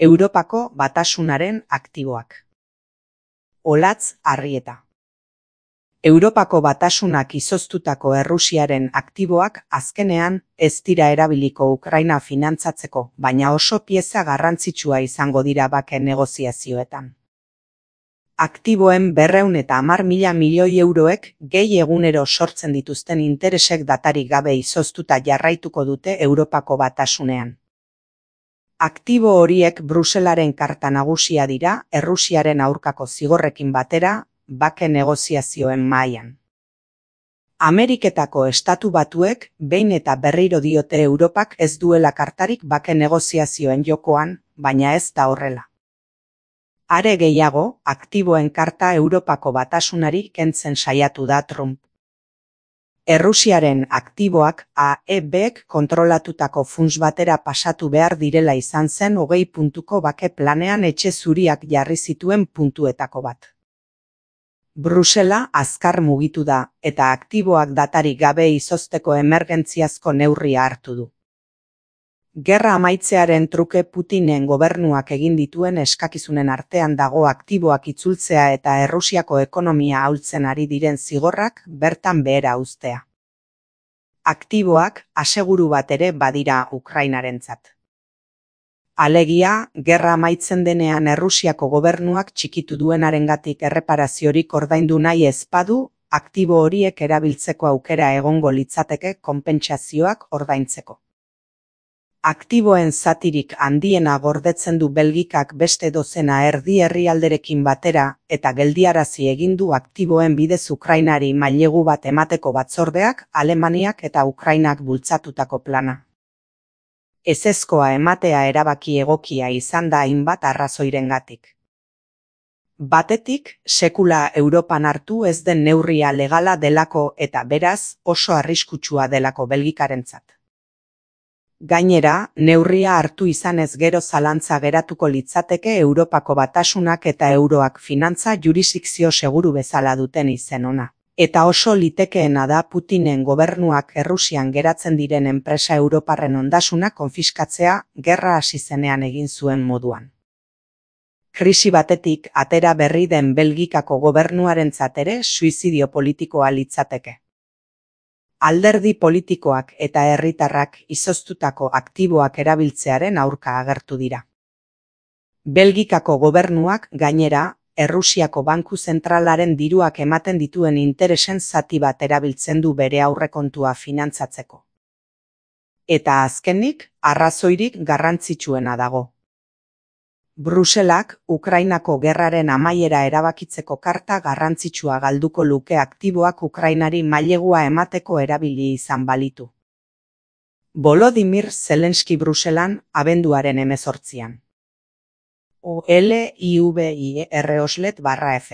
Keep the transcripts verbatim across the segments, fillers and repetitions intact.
Europako Batasunaren aktiboak. Olatz Arrieta. Europako Batasunak izoztutako Errusiaren aktiboak azkenean ez dira erabiliko Ukraina finantzatzeko, baina oso pieza garrantzitsua izango dira bake negoziazioetan. Aktiboen berrehun eta hamar mila milioi euroek gehi egunero sortzen dituzten interesek datarik gabe izoztuta jarraituko dute Europako Batasunean. Aktibo horiek Bruselaren karta nagusia dira Errusiaren aurkako zigorrekin batera bake negoziazioen mahaian. Ameriketako Estatu Batuek behin eta berriro diote Europak ez duela kartarik bake negoziazioen jokoan, baina ez da horrela. Are gehiago, aktiboen karta Europako Batasunari kentzen saiatu da Trump. Errusiaren aktiboak A E Bek kontrolatutako funts batera pasatu behar direla izan zen hogei puntuko bake planean etxe zuriak jarri zituen puntuetako bat. Brusela azkar mugitu da, eta aktiboak datarik gabe izozteko emergentziazko neurria hartu du. Gerra amaitzearen truke Putinen gobernuak egin dituen eskakizunen artean dago aktiboak itzultzea eta Errusiako ekonomia ahultzen ari diren zigorrak bertan behera uztea. Aktiboak aseguru bat ere badira Ukrainarentzat. Alegia, gerra amaitzen denean Errusiako gobernuak txikitu duenarengatik erreparaziorik ordaindu nahi ez badu, aktibo horiek erabiltzeko aukera egongo litzateke konpentsazioak ordaintzeko. Aktiboen zatirik handiena gordetzen du Belgikak beste dozena erdi herrialderekin batera eta geldiarazi egin du aktiboen bidez Ukrainari mailegu bat emateko batzordeak Alemaniak eta Ukrainak bultzatutako plana. Ezezkoa ematea erabaki egokia izan da hainbat arrazoirengatik. Batetik, sekula Europan hartu ez den neurria legala delako eta beraz oso arriskutsua delako Belgikarentzat. Gainera, neurria hartu izanez gero zalantza geratuko litzateke Europako Batasunak eta euroak finantza jurisdikzio seguru bezala duten izen ona. Eta oso litekeena da Putinen gobernuak Errusian geratzen diren enpresa europarren ondasuna konfiskatzea gerra hasi zenean egin zuen moduan. Krisi batetik atera berri den Belgikako gobernuarentzat ere suizidio politikoa litzateke. Alderdi politikoak eta herritarrak izoztutako aktiboak erabiltzearen aurka agertu dira. Belgikako gobernuak gainera, Errusiako Banku Zentralaren diruak ematen dituen interesen zati bat erabiltzen du bere aurrekontua finantzatzeko. Eta azkenik, arrazoirik garrantzitsuena dago. Bruselak Ukrainako gerraren amaiera erabakitzeko karta garrantzitsua galduko luke aktiboak Ukrainari mailegua emateko erabili izan balitu. Volodymyr Zelenski Bruselan abenduaren hemezortzian. O L I V I R oslet barra F.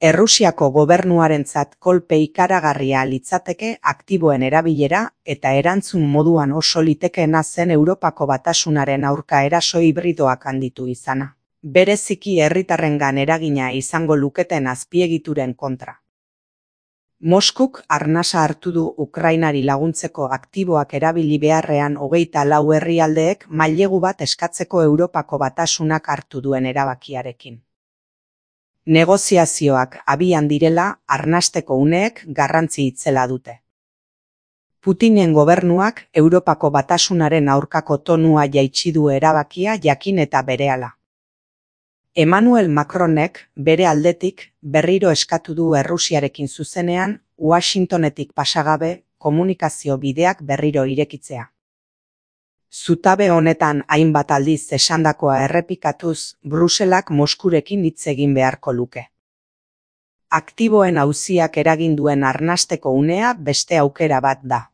Errusiako gobernuarentzat kolpe ikaragarria litzateke aktiboen erabilera eta erantzun moduan oso litekeena zen Europako Batasunaren aurka eraso hibridoak handitu izana. Bereziki herritarrengan eragina izango luketen azpiegituren kontra. Moskuk arnasa hartu du Ukrainari laguntzeko aktiboak erabili beharrean hogeita lau herrialdeek mailegu bat eskatzeko Europako Batasunak hartu duen erabakiarekin. Negoziazioak abian direla arnasteko uneek garrantzi itzela dute. Putinen gobernuak Europako Batasunaren aurkako tonua jaitsi du erabakia jakin eta berehala. Emmanuel Macronek bere aldetik berriro eskatu du Errusiarekin zuzenean Washingtonetik pasagabe komunikazio bideak berriro irekitzea. Zutabe honetan hainbat aldiz esandakoa errepikatuz, Bruselak Moskurekin hitz egin beharko luke. Aktiboen auziak eragin duen arnasteko unea beste aukera bat da.